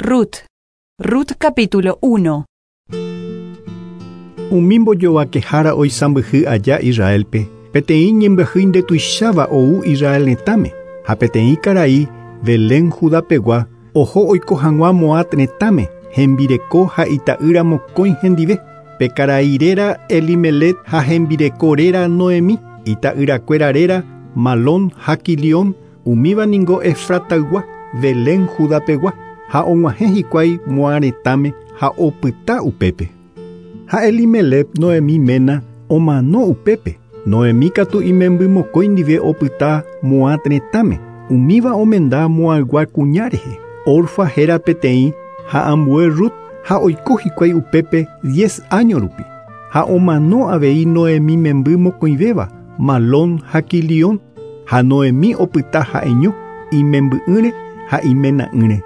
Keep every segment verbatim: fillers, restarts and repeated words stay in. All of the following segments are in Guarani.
Rut. Rut capítulo uno. Umi mbojovakehára oisãmbyhy aja Israelpe, peteĩ ñembyahýi ndetuicháva ou Israel retãme, ha peteĩ karai Belén Judapegua oho oiko hag̃ua Moab retãme, hembireko ha ita'ýra mokõi hendive. Pe karai réra Elimelec ha hembireko réra Noemí, ita'yrakuéra réra Malón ha Quilión, umíva ningo Efrataygua, Belén Judapegua, ha og̃uahẽ hikuái Moab retãme ha opyta upépe. Ha Elimelec Noemí ména omano upépe. Noemí katu imemby mokõi ndive opyta Moab retãme, umíva omenda Moabgua kuña rehe. Orfa héra peteĩ ha ambue Rut ha oiko hikuái upépe diez año rupi. Ha omano avei Noemí memby mokõivéva, Malón ha Quilión, ha Noemí opyta ha'eño, imemby'ỹre ha imena'ỹre.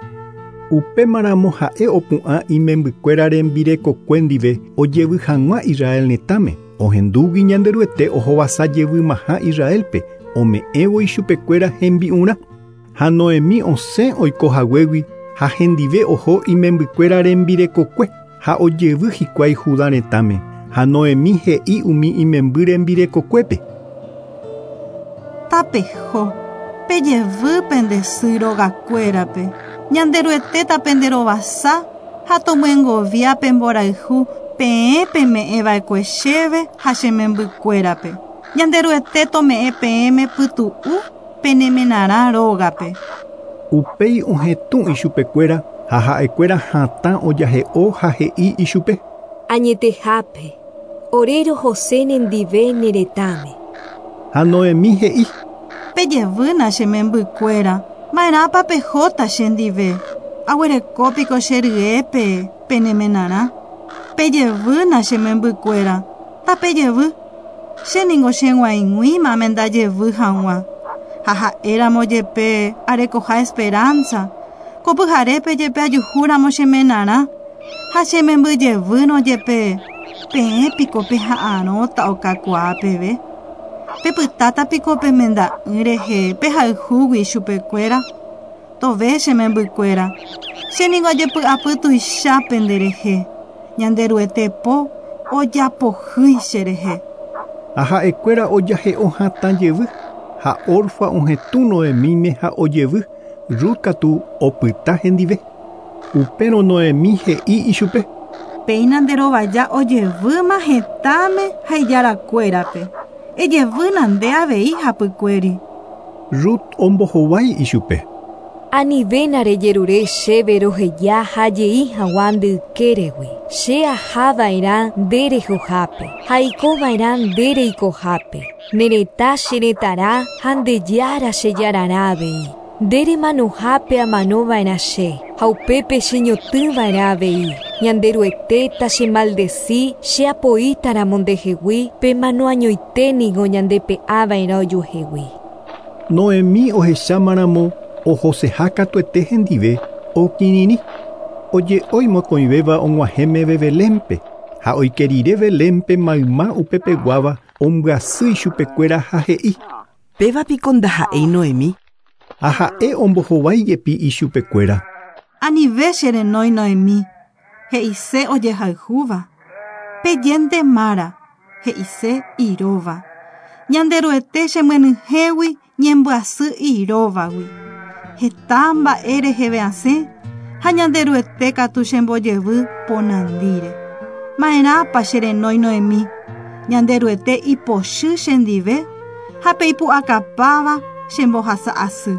Upémaramo ha'e opu'ã imembykuéra rembirekokue ndive ojevy hag̃ua Israel retãme, ohendúgui Ñanderuete ohovasa jevymaha Israelpe, ome'ẽvo ichupekuéra hembi'urã. Ha Noemí osẽ oiko haguégui ha hendive oho imembykuéra rembirekokue ha ojevy hikuái Judá retãme. Ha Noemí he'i umi imemby rembirekokuépe. Tapeho, pejevy pende sy rogakuérape, Ñanderuete tapenderovasa ha tomyengovia pemborayhu peẽ peme'ẽva'ekue chéve ha che membykuérape. Ñanderuete tome'ẽ peẽme pytu'u penemenarã rógape. Upéi ohetũ ichupekuéra ha ha'ekuéra hatã ojahe'o ha he'i ichupe. Añetehápe, ore rohose nendive ne retãme. Ha Noemí he'i. Pejevýna che membykuéra, ma'erãpa pehóta chendive. Aguerekópiko che ryépe penemenarã. Pejevýna che membykuéra, tapejevy. Che ningo cheg̃uaig̃uíma amendajevy hag̃ua. Ha ha'éramo jepe arekoha esperanza. Ko pyharépe jepe ajuhúramo chemenarã. Ha che membyjevýrõ jepe peẽ piko peha'arõta okakuaa peve. Pepytáta piko pemenda'ỹ rehe pehayhúgui ichupekuéra. Tove che membykuéra. Che ningo ajepy'apy tuicha penderehe. Ñanderuete po ojapohýi cherehe. Ha ha'ekuéra ojahe'o hatã jevy. Ha Orfa ohetũ Noemíme ha ojevy, Rut katu opyta hendive. Upérõ Noemí he'i ichupe. Péina nderovaja ojevýma hetãme ha ijarakuérape. Ejevýna nde avei hapykuéri. Rut ombohovái ichupe. Anivéna rejerure chéve roheja ha jey hag̃ua nde ykéregui. Che ahava'erã nde rehohápe ha aikova'erã nde reikohápe. Ne retã che retãrã ha nde jára che jararã avei. Nde remanohápe amanova'erã che ha upépe cheñotỹva'erã avei. Ñanderuete tachemaldeci che apoítaramo ndehegui pemano añoite niko ñandepe'ava'erã ojuehegui. Noemí ohechámaramo ohoseha katuete hendive okirirĩ. Oje'ói mokõivéva og̃uahẽmeve Belénpe ha oike rire Belénpe mayma upepeguáva ombyasy ichupekuéra ha he'i. Péva piko ndaha'éi Noemí. Ha ha'e ombohovái jepi ichupekuéra. Anive che renói Noemí, he'ise ojehayhúva. Pejénte Mara, he'ise iróva. Ñanderuete chemyenyhẽgui ñembyasy iróvagui. Heta mba'e reheve asẽ ha Ñanderuete katu chembojevy ponandíre. Ma'erãpa che renói Noemí, Ñanderuete ipochy chendive ha peipu'akapáva chembohasa asy.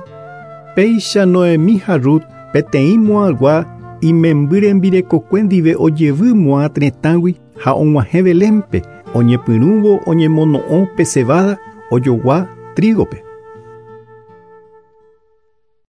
Péicha Noemí ha Rut peteĩ Moabgua imemby rembirekokue ndive ojevy Moab retãgui ha og̃uahẽ Belénpe oñepyrũvo oñemono'õ pe cebada ojogua trígope.